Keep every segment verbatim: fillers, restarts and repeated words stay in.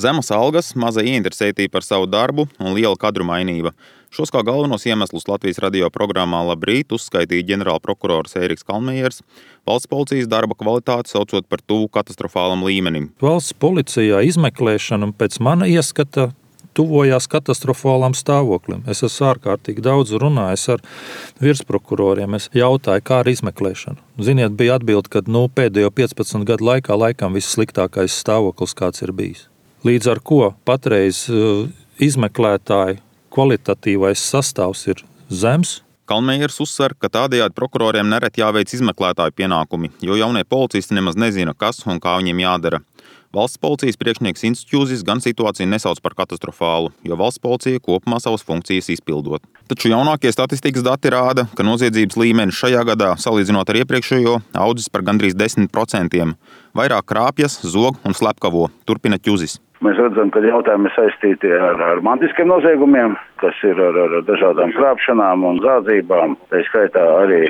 Zemas algas, maza ieinteresētība par savu darbu un liela kadru mainība. Šos kā galvenos iemeslus Latvijas radio programmā Labrīt uzskaitīja ģenerālprokurors Ēriks Kalmejers, valsts policijas darba kvalitāti saucot par tuvu katastrofālam līmenim. Valsts policijā izmeklēšana pēc mana ieskata tuvojās katastrofālam stāvoklim. Es esmu ārkārtīgi daudz runājis ar virsprokuroriem. Es jautāju, kā ar izmeklēšanu. Ziniet, bija atbilde, ka nu, pēdējo piecpadsmit gadu laikā laikam vissliktākais stāvoklis, kāds ir bijis. Līdz ar ko patreiz uh, izmeklētāju kvalitatīvais sastāvs ir zems. Kalmejers uzsver, ka tādējādi prokuroriem nereti jāveic izmeklētāju pienākumi, jo jaunie policisti nemaz nezina, kas un kā viņiem jādara. Valsts policijas priekšnieks Institūzis gan situāciju nesauc par katastrofālu, jo valsts policija kopumā savas funkcijas izpildot. Taču jaunākie statistikas dati rāda, ka noziedzības līmenis šajā gadā, salīdzinot ar iepriekšējo, audzis par gandrīz desmit procentiem. Vairāk krāpjas, zog un slepkavo, turpina Ķuzis. Mēs redzam, ka jautājumi ir saistīti ar, ar mantiskiem noziegumiem, kas ir ar, ar dažādām krāpšanām un zādzībām. Tā skaitā arī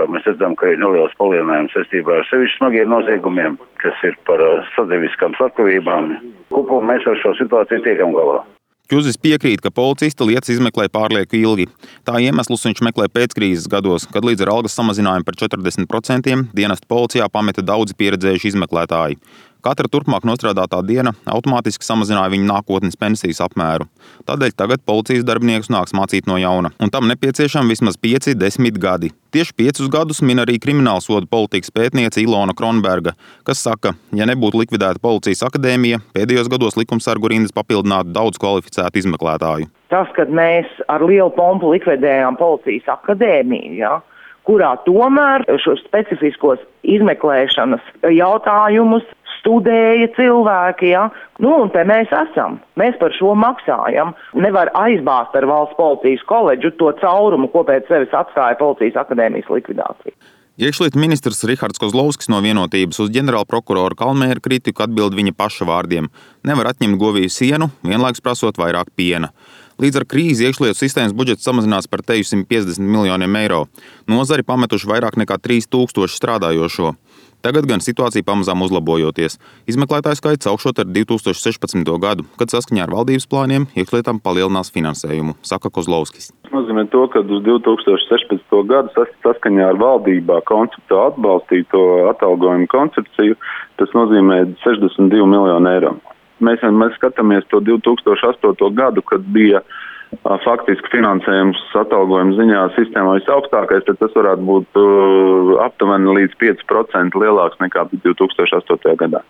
mēs redzam, ka ir neliels palielinājums saistībā ar sevišķi smagiem noziegumiem, kas ir par sadzīviskām slepkavībām. Kopumā mēs ar šo situāciju tiekam galā. Ķuzis piekrīt, ka policisti lietas izmeklē pārlieku ilgi. Tā iemeslus viņš meklē pēckrīzes gados, kad līdz ar algas samazinājumu par četrdesmit procentiem dienestu policijā pameta daudzi pieredzējuši izmeklētāji. Katra turpmāk nostrādātā diena automātiski samazināja viņu nākotnes pensijas apmēru. Tādēļ tagad policijas darbiniekus nāks mācīt no jauna, un tam nepieciešami vismaz pieci, desmit gadi. Tieši piecus gadus min arī kriminālsodu politikas pētniece Ilona Kronberga, kas saka, ja nebūtu likvidēta policijas akadēmija, pēdējos gados likumsargu rindas papildinātu daudz kvalificētu izmeklētāju. Tas, kad mēs ar lielu pompu likvidējām policijas akadēmiju, ja, kurā tomēr šos specifiskos izmeklēšanas jautājumus studēja cilvēki, ja? Nu, un te mēs esam. Mēs par šo maksājam. Nevar aizbāzt ar valsts policijas koledžu to caurumu, ko pēc sevis atstāja policijas akadēmijas likvidācija. Iekšlietu ministrs Rihards Kozlovskis no Vienotības uz ģenerālprokuroru Kalmēra kritiku atbild viņa paša vārdiem. Nevar atņemt govīju sienu, vienlaikus prasot vairāk piena. Līdz ar krīzi iekšlietu sistēmas budžets samazinās par simt piecdesmit miljoniem eiro. Nozari pametuši vairāk nekā trīs tūkstoši strādājošo. Tagad gan situācija pamazām uzlabojoties. Izmeklētāju skaits augšot ar divi tūkstoši sešpadsmito gadu, kad saskaņā ar valdības plāniem iekšlietām palielinās finansējumu, saka Kozlovskis. Tas nozīmē to, ka uz divi tūkstoši sešpadsmito gadu saskaņā ar valdībā konceptu atbalstīto atalgojumu koncepciju, tas nozīmē sešdesmit divi miljoni eiro. Mēs, mēs skatāmies to divi tūkstoši astoto gadu, kad bija faktiski finansējums atalgojuma ziņā sistēmā visaugstākais, tad tas varētu būt uh, aptuveni līdz pieci procenti lielāks nekā divi tūkstoši astotajā gadā.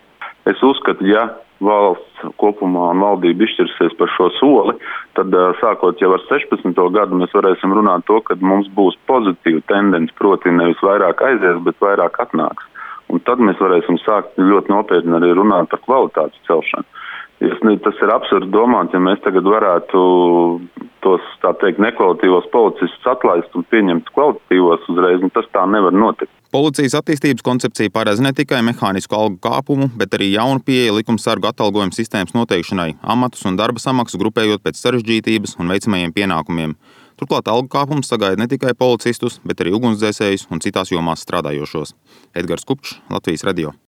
Es uzskatu, ja valsts kopumā un valdība izšķirsies par šo soli, tad uh, sākot jau ar sešpadsmito gadu mēs varēsim runāt to, ka mums būs pozitīva tendence, proti nevis vairāk aizies, bet vairāk atnāks. Un tad mēs varēsim sākt ļoti nopietni arī runāt par kvalitātes celšanu. Tas ir absurdi domāt, ja mēs tagad varētu tos, tā teikt, nekvalitīvos policistus atlaist un pieņemt kvalitatīvos uzreiz, un tas tā nevar notikt. Policijas attīstības koncepcija paredz ne tikai mehānisku algu kāpumu, bet arī jaunu pieeju likumsargu atalgojuma sistēmas noteikšanai, amatus un darba samaksas grupējot pēc sarežģītības un veicamajiem pienākumiem. Turklāt algu kāpums sagaida ne tikai policistus, bet arī ugunsdzēsējus un citās jomās strādājošos. Edgars Kupčs, Latvijas radio.